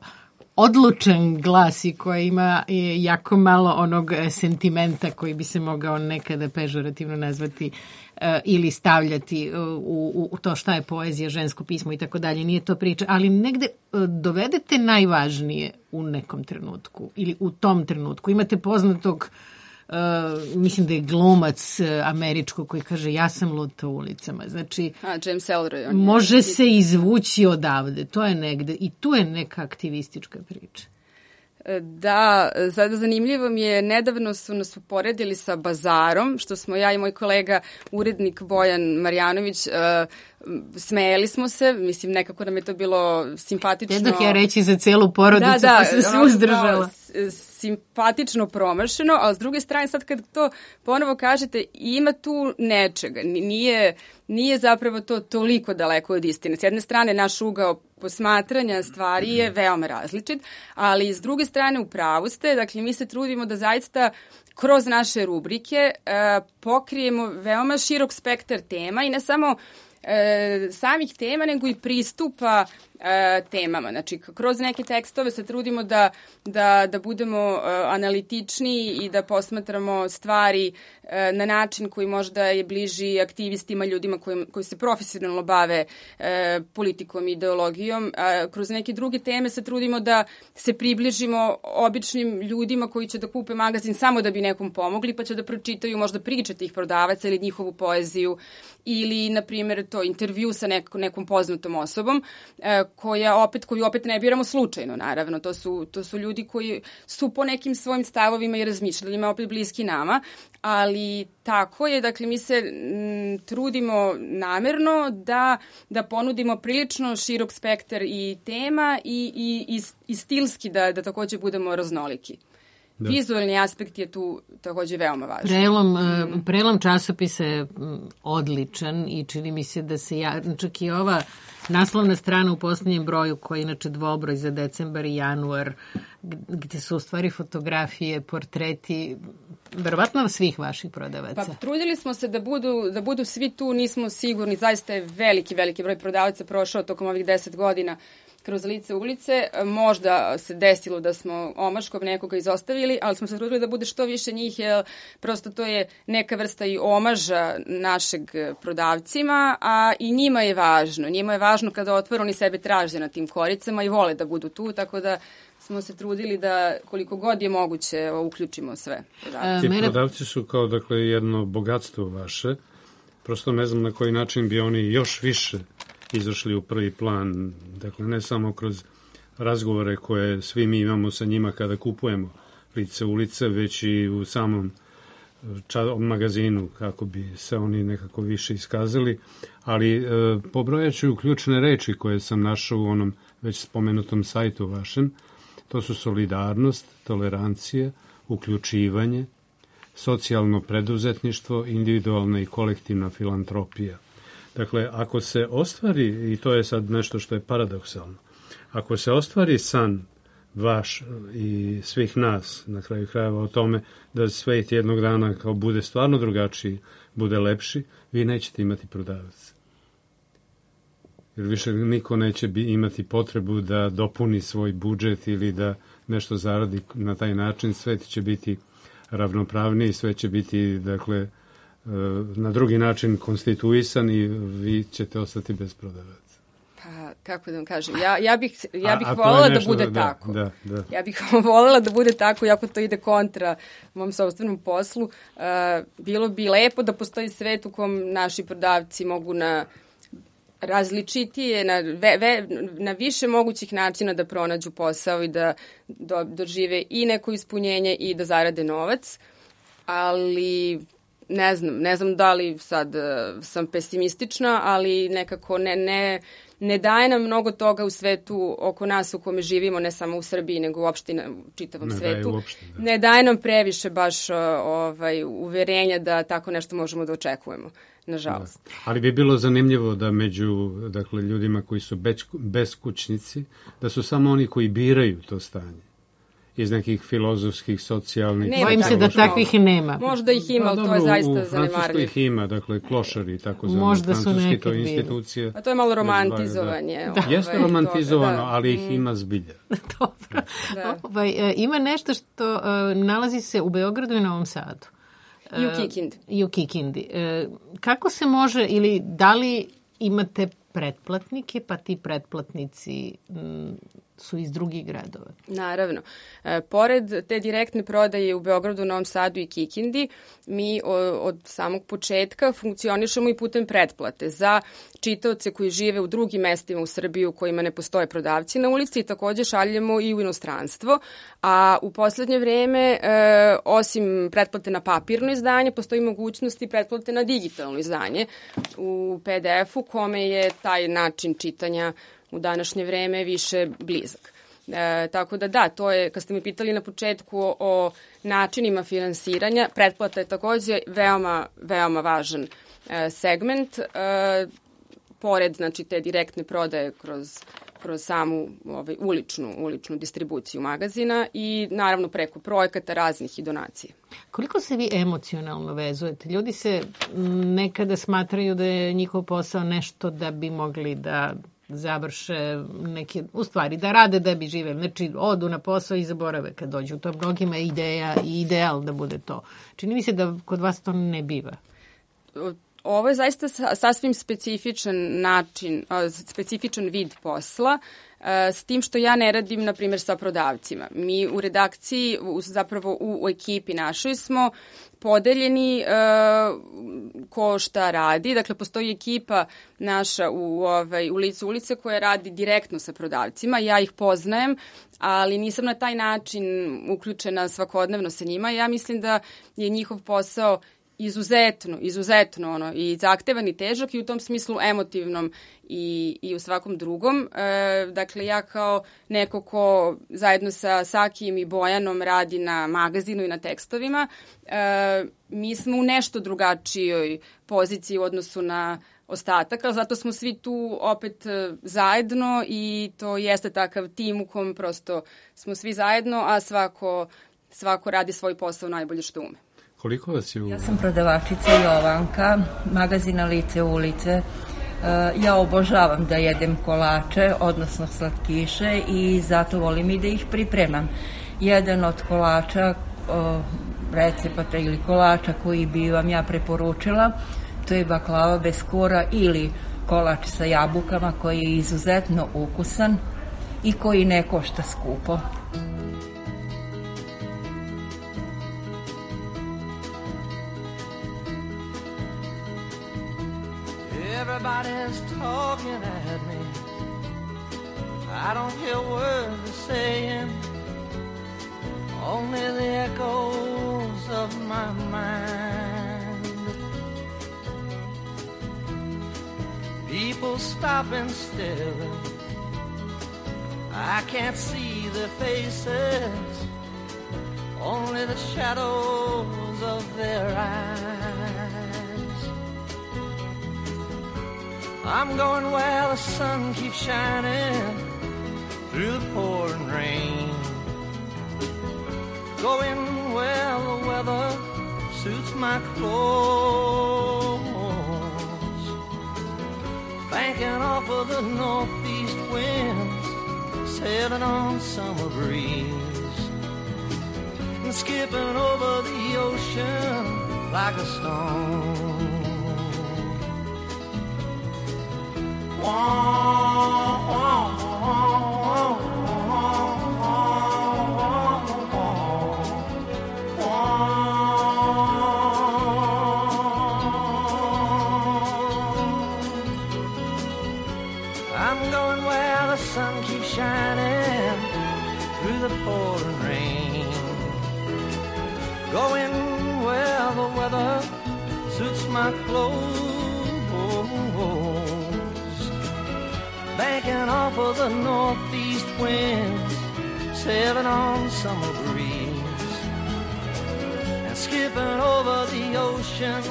odlučan glas i koja ima jako malo onog sentimenta koji bi se mogao nekada pežorativno nazvati uh, ili stavljati uh, u, u to šta je poezija, žensko pismo i tako dalje. Nije to priča, ali negde uh, dovedete najvažnije u nekom trenutku ili u tom trenutku. Imate poznatog, Uh, mislim da je glumac uh, američko koji kaže ja sam luta ulicama. Znači, A, James Ellroy. Može je... se izvući odavde. To je negde. I tu je neka aktivistička priča. Da, sada zanimljivo mi je, nedavno su nas uporedili sa Bazarom, što smo ja i moj kolega, urednik Bojan Marjanović, uh, smejali smo se, mislim, nekako nam je to bilo simpatično. Jednog ja reći za celu porodicu, da, da, pa sam se uzdržala. Simpatično promašeno, ali s druge strane, sad kad to ponovo kažete, ima tu nečega, nije, nije zapravo to toliko daleko od istine. S jedne strane, naš ugao posmatranja stvari je veoma različit, ali s druge strane, u pravu ste, dakle, mi se trudimo da zaista kroz naše rubrike uh, pokrijemo veoma širok spektar tema i ne samo E, samih tema, nego i pristupa e, temama. Znači, kroz neke tekstove se trudimo da, da, da budemo e, analitični i da posmatramo stvari e, na način koji možda je bliži aktivistima, ljudima koji, koji se profesionalno bave e, politikom i ideologijom. A kroz neke druge teme se trudimo da se približimo običnim ljudima koji će da kupe magazin samo da bi nekom pomogli, pa će da pročitaju možda priče tih prodavaca ili njihovu poeziju ili, na primjer, to intervju sa nekom, nekom poznatom osobom, e, koja opet, koju opet ne biramo slučajno, naravno. To su, to su ljudi koji su po nekim svojim stavovima i razmišljanjima opet bliski nama, ali tako je, dakle, mi se m, trudimo namerno da, da ponudimo prilično širok spektar i tema i, i, i, i stilski da, da takođe budemo raznoliki. Da. Vizualni aspekt je tu takođe veoma važan. Prelom, mm. prelom časopisa je odličan i čini mi se da se ja, čak i ova naslovna strana u posljednjem broju, koja je inače dvobroj za decembar i januar, gde su u stvari fotografije, portreti, verovatno svih vaših prodavaca. Pa trudili smo se da budu, da budu svi tu, nismo sigurni, zaista je veliki, veliki broj prodavaca prošao tokom ovih deset godina kroz lice ulice. Možda se desilo da smo omaškom nekoga izostavili, ali smo se trudili da bude što više njih, jer prosto to je neka vrsta i omaža našeg prodavcima, a i njima je važno. Njima je važno kada otvore, oni sebe traže na tim koricama i vole da budu tu, tako da smo se trudili da koliko god je moguće uključimo sve. Ti prodavci su kao, dakle, jedno bogatstvo vaše. Prosto ne znam na koji način bi oni još više izašli u prvi plan, dakle ne samo kroz razgovore koje svi mi imamo sa njima kada kupujemo lice ulice, već i u samom magazinu kako bi se oni nekako više iskazali, ali e, pobrojaću ključne reči koje sam našao u onom već spomenutom sajtu vašem. To su solidarnost, tolerancija, uključivanje, socijalno preduzetništvo, individualna i kolektivna filantropija. Dakle, ako se ostvari, i to je sad nešto što je paradoksalno, ako se ostvari san vaš i svih nas, na kraju krajeva, o tome da svet jednog dana kao bude stvarno drugačiji, bude lepši, vi nećete imati prodavac. Jer više niko neće bi imati potrebu da dopuni svoj budžet ili da nešto zaradi na taj način. Svet će biti ravnopravniji, sve će biti, dakle, na drugi način konstituisan i vi ćete ostati bez prodavaca. Pa, kako da vam kažem, ja, ja bih, ja bih voljela da bude da, tako. Da, da. Ja bih voljela da bude tako, iako to ide kontra mom sopstvenom poslu. Uh, bilo bi lepo da postoji svet u kom naši prodavci mogu na različitije, na, ve, ve, na više mogućih načina da pronađu posao i da do, dožive i neko ispunjenje i da zarade novac, ali ne znam, ne znam da li sad uh, sam pesimistična, ali nekako ne, ne, ne daje nam mnogo toga u svetu oko nas u kome živimo, ne samo u Srbiji, nego uopšte na čitavom ne svetu. Daje uopšte, da. Ne daje nam previše baš uh, ovaj, uverenja da tako nešto možemo da očekujemo, nažalost. Da. Ali bi bilo zanimljivo da među, dakle, ljudima koji su beskućnici, da su samo oni koji biraju to stanje. Iz nekih filozofskih, socijalnih... Bojim se da takvih i nema. Možda ih ima, ali to je zaista zanemarljivo. U Francuskoj ih ima, dakle, klošari i tako zvani. Možda su Francuski, to je nekad institucija. A to je malo romantizovanje. Da. Ovaj, Jeste romantizovano, toga, da. ali ih ima zbilja. Dobro. Da. Ovaj, ima nešto što uh, nalazi se u Beogradu i Novom Sadu. I u Kikindi. Uh, I u Kikindi. Uh, kako se može, ili da li imate pretplatnike, pa ti pretplatnici m, su iz drugih gradova? Naravno. E, pored te direktne prodaje u Beogradu, Novom Sadu i Kikindi, mi o, od samog početka funkcionišemo i putem pretplate za čitaoce koji žive u drugim mestima u Srbiji u kojima ne postoje prodavci na ulici i takođe šaljemo i u inostranstvo. A u poslednje vreme, e, osim pretplate na papirno izdanje, postoji mogućnost i pretplate na digitalno izdanje u pe de efu, kome je taj način čitanja u današnje vreme više blizak. E, tako da da, to je, kad ste me pitali na početku o, o načinima finansiranja, pretplata je takođe veoma, veoma važan e, segment. E, pored, znači, te direktne prodaje kroz, kroz samu ovaj, uličnu, uličnu distribuciju magazina i naravno preko projekata raznih i donacije. Koliko se vi emocionalno vezujete? Ljudi se nekada smatraju da je njihov posao nešto da bi mogli da završe neke, u stvari, da rade da bi živeli. Znači, odu na posao i zaborave kad dođu. To mnogima je ideja i ideal da bude to. Čini mi se da kod vas to ne biva. ovo je zaista sasvim specifičan način, specifičan vid posla, s tim što ja ne radim, na primjer, sa prodavcima. Mi u redakciji, zapravo u, u ekipi našoj smo podeljeni uh, ko šta radi. Dakle, postoji ekipa naša u, ovaj, u licu ulice koja radi direktno sa prodavcima. Ja ih poznajem, ali nisam na taj način uključena svakodnevno sa njima. Ja mislim da je njihov posao izuzetno, izuzetno ono, i zahtevan i težak i u tom smislu emotivnom i, i u svakom drugom. E, dakle, ja kao neko ko zajedno sa Sakijem i Bojanom radi na magazinu i na tekstovima, e, mi smo u nešto drugačijoj poziciji u odnosu na ostatak, ali zato smo svi tu opet zajedno i to jeste takav tim u kom prosto smo svi zajedno, a svako, svako radi svoj posao najbolje što ume. Koliko vas je u... Ja sam prodavačica Jovanka, magazina Lice ulice. Ja obožavam da jedem kolače, odnosno slatkiše, i zato volim i da ih pripremam. Jedan od kolača, recepata ili kolača koji bi vam ja preporučila, to je baklava bez kora ili kolač sa jabukama koji je izuzetno ukusan i koji ne košta skupo. Everybody's talking at me. I don't hear words they're saying, only the echoes of my mind. People stopping still, I can't see their faces, only the shadows of their eyes. I'm going where the sun keeps shining through the pouring rain, going where the weather suits my clothes, banking off of the northeast winds, sailing on summer breeze, and skipping over the ocean like a stone. I'm going where the sun keeps shining through the pouring rain, going where the weather suits my clothes, banking off of the northeast winds, sailing on summer breeze, and skipping over the ocean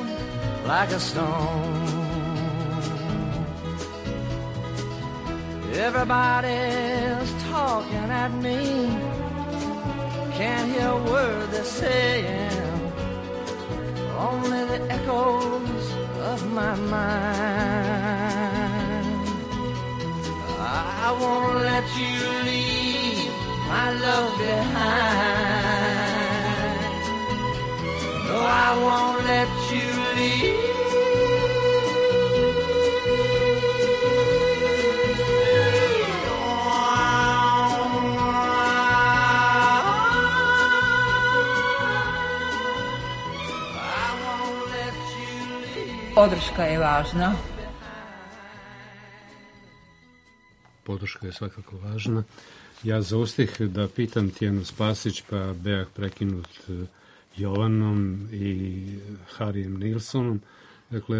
like a stone. Everybody's talking at me, can't hear a word they're saying, only the echoes of my mind. I won't let you leave my love behind. No, I won't let you leave. Podrška je važna. Podrška je svakako važna. Ja zaustih da pitam Tijanu Spasić, pa bejah prekinut Jovanom i Harijem Nilsonom. Dakle,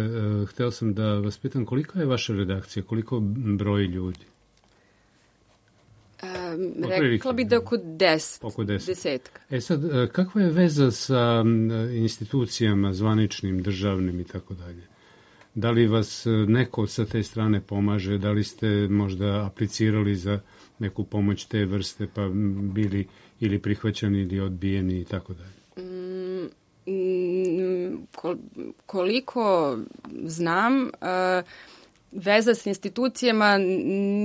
hteo sam da vas pitam kolika je vaša redakcija, koliko broji ljudi? Um, rekla bi da oko deset, oko deset. desetka. E sad, kakva je veza sa institucijama zvaničnim, državnim i tako dalje? Da li vas neko sa te strane pomaže, da li ste možda aplicirali za neku pomoć te vrste pa bili ili prihvaćani ili odbijeni i tako dalje? Mm, koliko znam, uh, veza s institucijama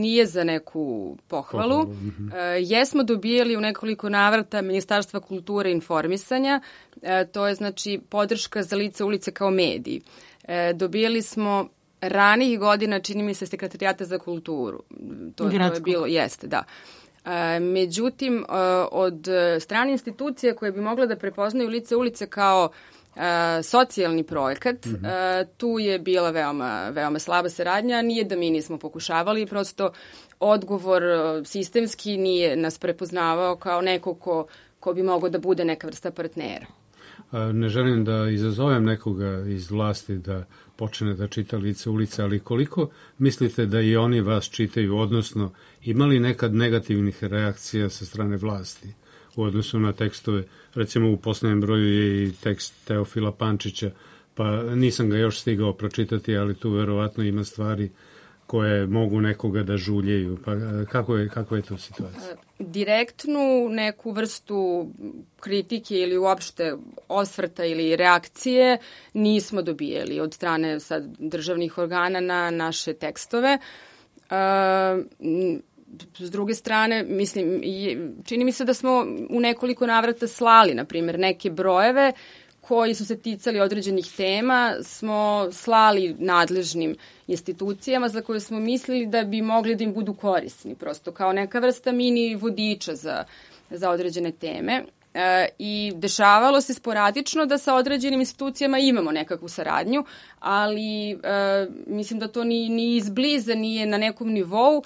nije za neku pohvalu. pohvalu. Mm-hmm. E, jesmo dobijali u nekoliko navrata Ministarstva kulture i informisanja, e, to je znači podrška za Lice ulice kao mediji. E, dobijali smo ranijih godina, čini mi se, Sekretarijata za kulturu. To, to je bilo, jeste, da. E, međutim, e, od strane institucija koje bi mogle da prepoznaju Lice ulice kao e, socijalni projekat, mm-hmm. e, tu je bila veoma, veoma slaba saradnja. Nije da mi nismo pokušavali, prosto odgovor sistemski nije nas prepoznavao kao neko ko, ko bi mogao da bude neka vrsta partnera. Ne želim da izazovem nekoga iz vlasti da počne da čita Lice ulice, ali koliko mislite da i oni vas čitaju, odnosno imali nekad negativnih reakcija sa strane vlasti u odnosu na tekstove? Recimo u poslednjem broju je i tekst Teofila Pančića, pa nisam ga još stigao pročitati, ali tu verovatno ima stvari koje mogu nekoga da žuljaju. Pa kako je, kako je to situacija? Direktnu neku vrstu kritike ili uopšte osvrta ili reakcije nismo dobijeli od strane sad državnih organa na naše tekstove. S druge strane, mislim, čini mi se da smo u nekoliko navrata slali, na primjer, neke brojeve koji su se ticali određenih tema, smo slali nadležnim institucijama za koje smo mislili da bi mogli da im budu korisni, prosto kao neka vrsta mini vodiča za, za određene teme. E, I dešavalo se sporadično da sa određenim institucijama imamo nekakvu saradnju, ali e, mislim da to ni, ni izbliza nije na nekom nivou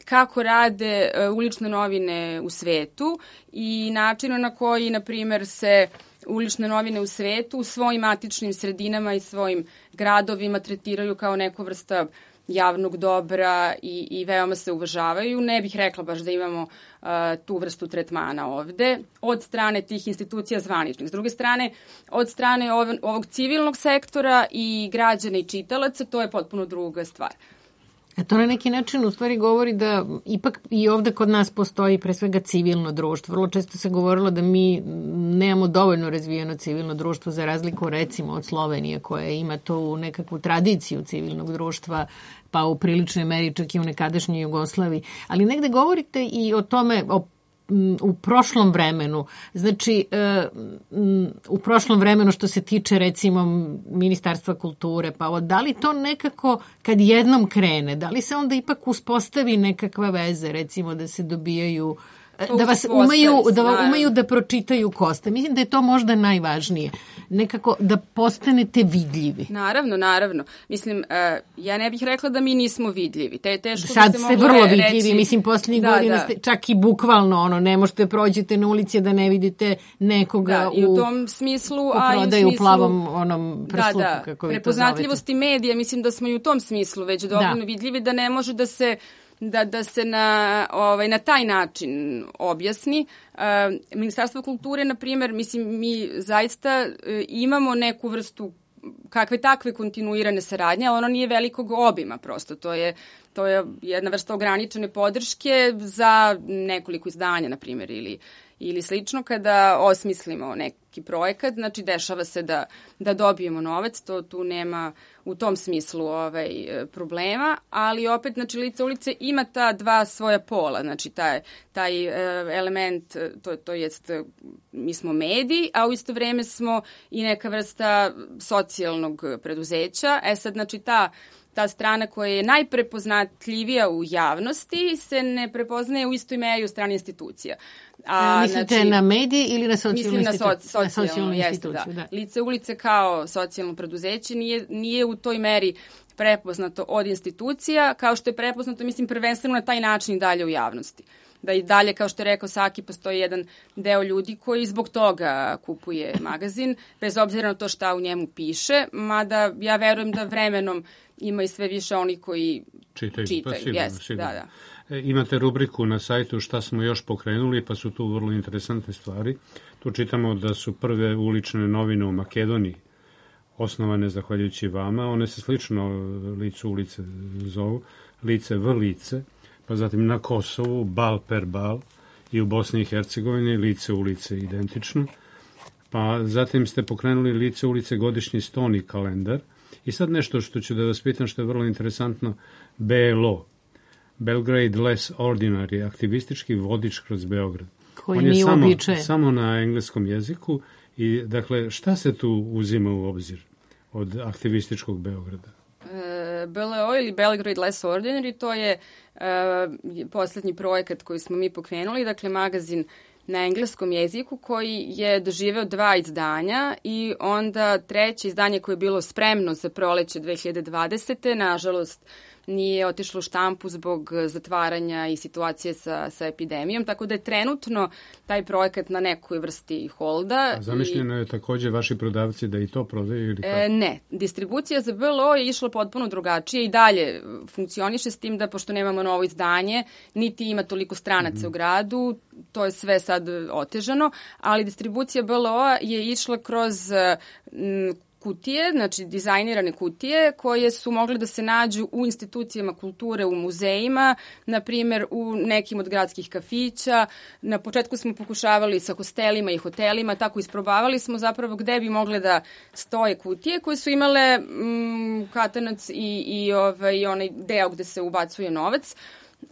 kako rade e, ulične novine u svetu i načinu na koji, na primjer, se ulične novine u svetu u svojim matičnim sredinama i svojim gradovima tretiraju kao neku vrsta javnog dobra i, i veoma se uvažavaju. Ne bih rekla baš da imamo uh, tu vrstu tretmana ovde od strane tih institucija zvaničnih. S druge strane, od strane ov, ovog civilnog sektora i građana i čitalaca, to je potpuno druga stvar. A to na neki način u stvari govori da ipak i ovde kod nas postoji pre svega civilno društvo. Vrlo često se govorilo da mi nemamo dovoljno razvijeno civilno društvo za razliku recimo od Slovenije koja ima tu nekakvu tradiciju civilnog društva pa u priličnoj meri čak i u nekadašnjoj Jugoslaviji. Ali negde govorite i o tome, o u prošlom vremenu, znači u prošlom vremenu što se tiče recimo Ministarstva kulture, pa da li to nekako kad jednom krene, da li se onda ipak uspostavi nekakva veze, recimo da se dobijaju, da vas umeju, da umeju da pročitaju Kosta. Mislim da je to možda najvažnije. Nekako da postanete vidljivi. Naravno, naravno. Mislim, ja ne bih rekla da mi nismo vidljivi. Te, teško Sad da se ste mogu vrlo reći. vidljivi. Mislim, posljednjih da, godina da. ste čak i bukvalno, ono, ne možete prođete na ulici da ne vidite nekoga da, u, i u tom smislu, u a i u prodaju smislu, plavom onom prsluku, da, da, kako vi to prepoznatljivosti medija, mislim da smo i u tom smislu već dovoljno da. vidljivi da ne može da se da da se na ovaj na taj način objasni. Uh, Ministarstvo kulture, na primjer, mislim mi zaista uh, imamo neku vrstu kakve takve kontinuirane saradnje, ali ono nije velikog obima prosto. To je to je jedna vrsta ograničene podrške za nekoliko izdanja, na primjer, ili ili slično, kada osmislimo neki projekat, znači dešava se da, da dobijemo novac, to tu nema u tom smislu ovaj, problema, ali opet, znači, Lice ulice ima ta dva svoja pola, znači taj, taj element, to, to jest, mi smo mediji, a u isto vreme smo i neka vrsta socijalnog preduzeća. E sad, znači, ta ta strana koja je najprepoznatljivija u javnosti se ne prepoznaje u istoj meri u strani institucija. A, mislite znači, na medije ili na socijalnu instituciju? Mislim institu- na, so, na socijalnu instituciju, da. da. Lice ulice kao socijalno preduzeće nije, nije u toj meri prepoznato od institucija, kao što je prepoznato, mislim, prvenstveno na taj način i dalje u javnosti. Da i dalje, kao što je rekao Saki, postoji jedan deo ljudi koji zbog toga kupuje magazin, bez obzira na to šta u njemu piše, mada ja verujem da vremenom ima i sve više oni koji čitaju. čitaju. Pa sigurno, yes, sigurno. Da, da. E, imate rubriku na sajtu šta smo još pokrenuli, pa su tu vrlo interesantne stvari. Tu čitamo da su prve ulične novine u Makedoniji osnovane zahvaljujući vama. One se slično Licu ulice zovu, Lice v lice, pa zatim na Kosovu Bal per Bal i u Bosni i Hercegovini Lice ulice identično. Pa zatim ste pokrenuli Lice ulice godišnji stoni kalendar. I sad nešto što ću da vas pitam što je vrlo interesantno, B L O, Belgrade Less Ordinary, aktivistički vodič kroz Beograd. Koji nije samo, uobičajen. Samo na engleskom jeziku i dakle šta se tu uzima u obzir? od aktivističkog Beograda? B L O ili Belgrade Less Ordinary, to je uh, poslednji projekat koji smo mi pokrenuli, dakle magazin na engleskom jeziku koji je doživeo dva izdanja i onda treće izdanje koje je bilo spremno za proleće dve hiljade dvadesete. Nažalost, nije otišlo u štampu zbog zatvaranja i situacije sa, sa epidemijom, tako da je trenutno taj projekat na nekoj vrsti holda. A zamišljeno i... je takođe vaši prodavci da i to prodaju ili kako? E, ne, distribucija za B L O je išla potpuno drugačije i dalje funkcioniše s tim da pošto nemamo novo izdanje, niti ima toliko stranaca mm-hmm. u gradu, to je sve sad otežano, ali distribucija B L O-a je išla kroz m, kutije, znači dizajnirane kutije koje su mogle da se nađu u institucijama kulture, u muzejima, na primjer u nekim od gradskih kafića. Na početku smo pokušavali sa hostelima i hotelima, tako isprobavali smo zapravo gde bi mogle da stoje kutije koje su imale mm, katanac i, i ovaj, onaj deo gde se ubacuje novac. Uh,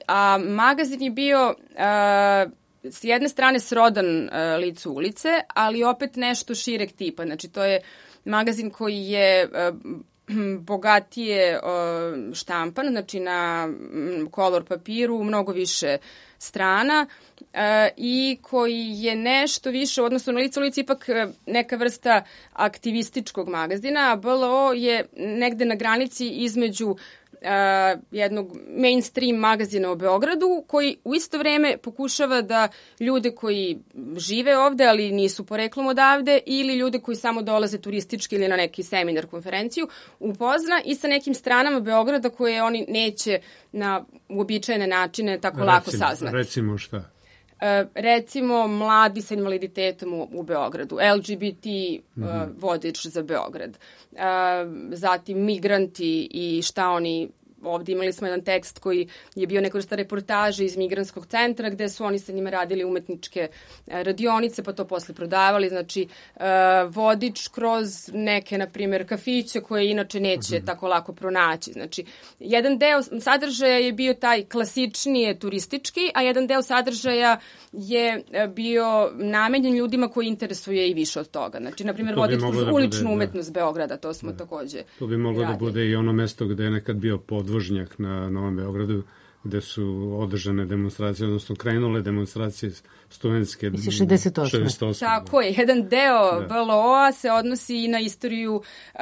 a magazin je bio uh, s jedne strane srodan uh, licu ulice, ali opet nešto šireg tipa. Znači to je magazin koji je uh, bogatije uh, štampan, znači na um, kolor papiru, mnogo više strana uh, i koji je nešto više, odnosno na licu ulici ipak uh, neka vrsta aktivističkog magazina, a B L O je negde na granici između Uh, jednog mainstream magazina u Beogradu koji u isto vreme pokušava da ljude koji žive ovde, ali nisu poreklom odavde, ili ljude koji samo dolaze turistički ili na neki seminar, konferenciju, upozna i sa nekim stranama Beograda koje oni neće na uobičajene načine tako recimo, lako saznati. Recimo šta? Uh, recimo mladi sa invaliditetom u, u Beogradu, L G B T uh, mm-hmm. vodič za Beograd, uh, zatim migranti i šta oni ovde imali smo jedan tekst koji je bio neka vrsta reportaže iz migrantskog centra gde su oni sa njima radili umetničke radionice pa to posle prodavali, znači uh, vodič kroz neke, na primjer, kafiće koje inače neće mm-hmm. tako lako pronaći. Znači, jedan deo sadržaja je bio taj klasičnije turistički, a jedan deo sadržaja je bio namenjen ljudima koji interesuje i više od toga. Znači, na primjer, vodič kroz da uličnu bude, umetnost da. Beograda, to smo da. takođe To bi moglo radili. Da bude i ono mesto gde je nekad bio podvožnjak na Novom Beogradu, gde su održane demonstracije, odnosno krenule demonstracije studentske. Mislim, šezdeset osme. šezdeset osme Tako je, jedan deo da. B L O-a se odnosi i na istoriju uh,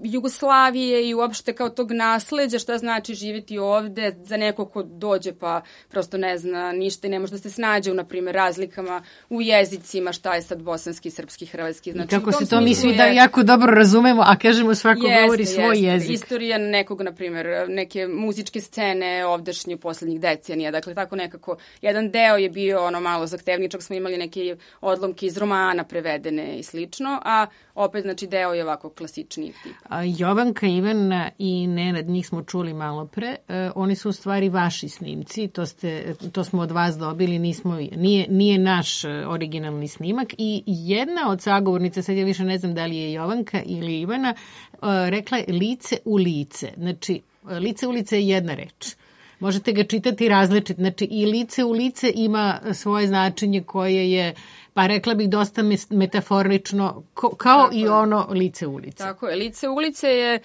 Jugoslavije i uopšte kao tog nasleđa, šta znači živjeti ovde za neko ko dođe pa prosto ne zna ništa i ne može da se snađe u, na primjer, razlikama u jezicima, šta je sad bosanski, srpski, hrvatski. Znači, i kako se to mi svi je... da jako dobro razumemo, a kažemo svako jeste, govori svoj jeste. jezik. Istorija nekog, na primjer, neke muzičke scene ovdašnje poslednjih decenija, dakle tako nekako, jedan deo je bio ono malo zahtevničak, smo imali neke odlomke iz romana prevedene i slično, a opet, znači, deo je ovako klasičniji tip. A Jovanka, Ivana i Nenad, njih smo čuli malo pre, e, oni su u stvari vaši snimci, to, ste, to smo od vas dobili, nismo, nije, nije naš originalni snimak i jedna od sagovornica, sad ja više ne znam da li je Jovanka ili Ivana, e, rekla je lice u lice, znači lice u lice je jedna reč. Možete ga čitati različit. Znači, i lice u lice ima svoje značenje koje je, pa rekla bih, dosta metaforično, kao tako i je. Ono lice ulice. Tako je. Lice ulice je e,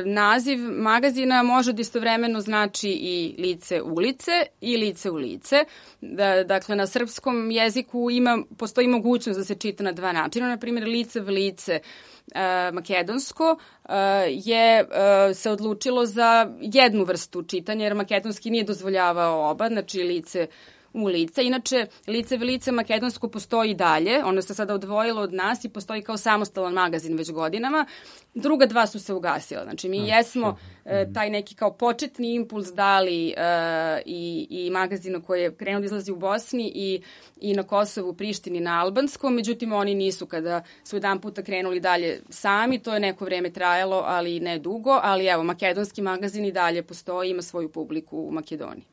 naziv magazina, može da istovremeno znači i lice ulice i lice u lice. Da, dakle, na srpskom jeziku ima, postoji mogućnost da se čita na dva načina. Na primjer, lice v lice Uh, makedonsko uh, je uh, se odlučilo za jednu vrstu čitanja, jer makedonski nije dozvoljavao oba, znači lice u lice. Inače, lice v lice makedonsko postoji dalje, ono se sada odvojilo od nas i postoji kao samostalan magazin već godinama. Druga dva su se ugasila. Znači, mi jesmo e, taj neki kao početni impuls dali e, i, i magazinu koji je krenuo da izlazi u Bosni i, i na Kosovu, Prištini, na albanskom. Međutim, oni nisu kada su jedan puta krenuli dalje sami. To je neko vreme trajalo, ali ne dugo. Ali evo, makedonski magazin i dalje postoji, ima svoju publiku u Makedoniji.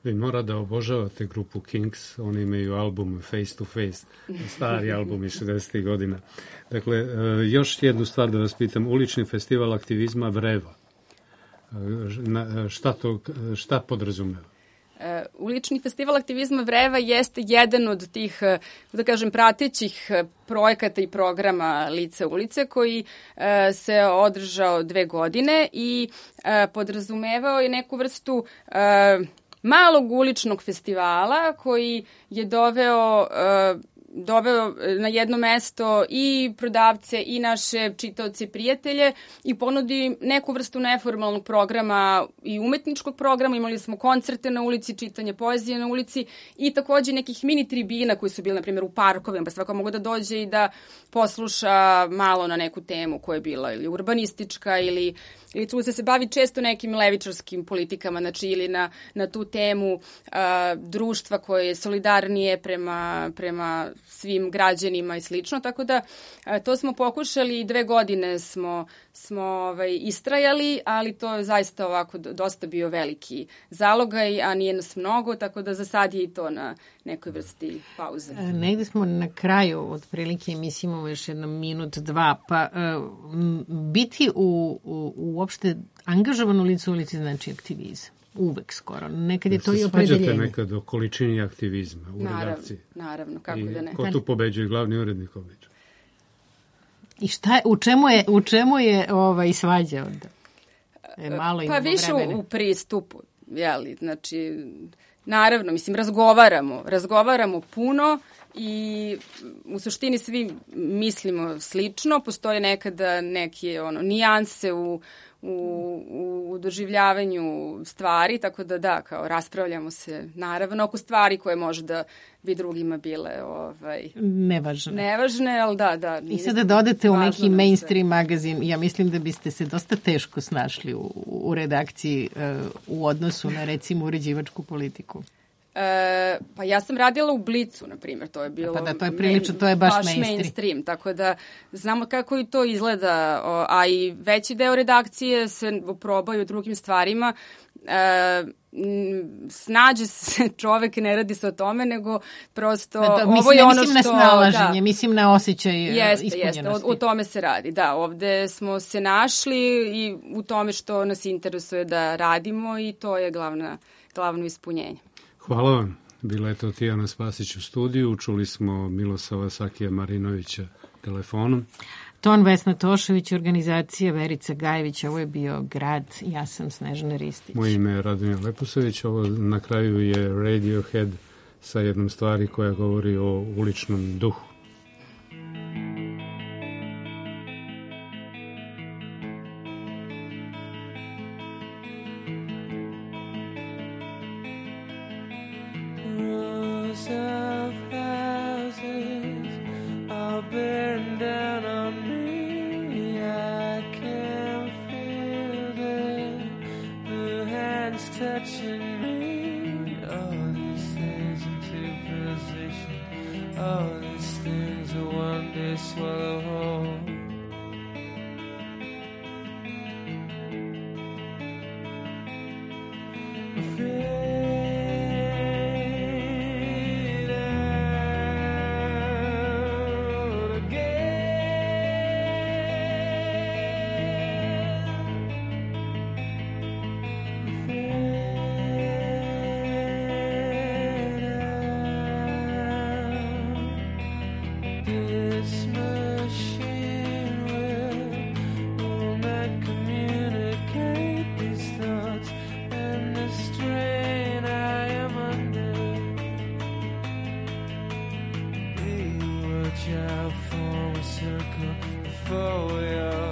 Vi mora da obožavate grupu Kings, oni imaju album Face to Face, stari album iz šezdesetih godina. Dakle, još jednu stvar da vas pitam, ulični festival aktivizma Vreva, šta to, šta podrazumeva? E, ulični festival aktivizma Vreva jeste jedan od tih, da kažem, pratećih projekata i programa Lice ulice koji e, se održao dve godine i e, podrazumevao je neku vrstu e, malog uličnog festivala koji je doveo e, doveo na jedno mesto i prodavce i naše čitaoce i prijatelje i ponudi neku vrstu neformalnog programa i umetničkog programa. Imali smo koncerte na ulici, čitanje poezije na ulici i takođe nekih mini tribina koji su bili, na primjer, u parkovima, pa svako mogu da dođe i da posluša malo na neku temu koja je bila ili urbanistička ili ili tu se bavi često nekim levičarskim politikama, znači ili na, na tu temu a, društva koje je solidarnije prema, prema svim građanima i slično, tako da a, to smo pokušali i dve godine smo, smo ovaj, istrajali, ali to je zaista ovako dosta bio veliki zalogaj, a nije nas mnogo, tako da za sad je i to na nekoj vrsti pauze. E, negde smo na kraju, otprilike emisije imamo još jedno minut, dva, pa e, biti u, u, uopšte angažovano lice u ulici znači aktivizam. Uvek skoro. Nekad je to i opredeljenje. Se svađate nekad o količini aktivizma u naravno, redakciji. Naravno, kako I da ne. Ko tu pobeđuje? Glavni urednik obično. I šta je, u čemu je, u čemu je ovaj, svađa onda? E, malo pa više vremena. U pristupu, jeli, znači, naravno, mislim, razgovaramo, razgovaramo puno i u suštini svi mislimo slično, postoje nekada neke ono, nijanse u u, u doživljavanju stvari, tako da da, kao raspravljamo se naravno oko stvari koje možda bi drugima bile ovaj, nevažne. Nevažne, ali da, da. I sada da odete u neki mainstream magazin, ja mislim da biste se dosta teško snašli u, u redakciji uh, u odnosu na recimo uređivačku politiku. E, pa ja sam radila u Blicu, na primjer, to je bilo... Pa da, to je prilično, to je baš, baš mainstream. mainstream. Tako da znamo kako i to izgleda, a i veći deo redakcije se probaju u drugim stvarima. E, snađe se čovek, ne radi se o tome, nego prosto da, da, ovo mislim, je ono mislim što... Mislim na snalaženje, da, mislim na osjećaj jeste, ispunjenosti. Jeste, o, o tome se radi, da. Ovde smo se našli i u tome što nas interesuje da radimo i to je glavna, glavno ispunjenje. Hvala vam. Bila je to Tijana Spasić u studiju. Čuli smo Milosava Sakija Marinovića telefonom. Ton Vesna Tošević, organizacija Verica Gajević. Ovo je bio Grad. Ja sam Snežana Ristić. Moje ime je Radomir Leposavić. Ovo na kraju je Radiohead sa jednom stvari koja govori o uličnom duhu. Out for a circle before we are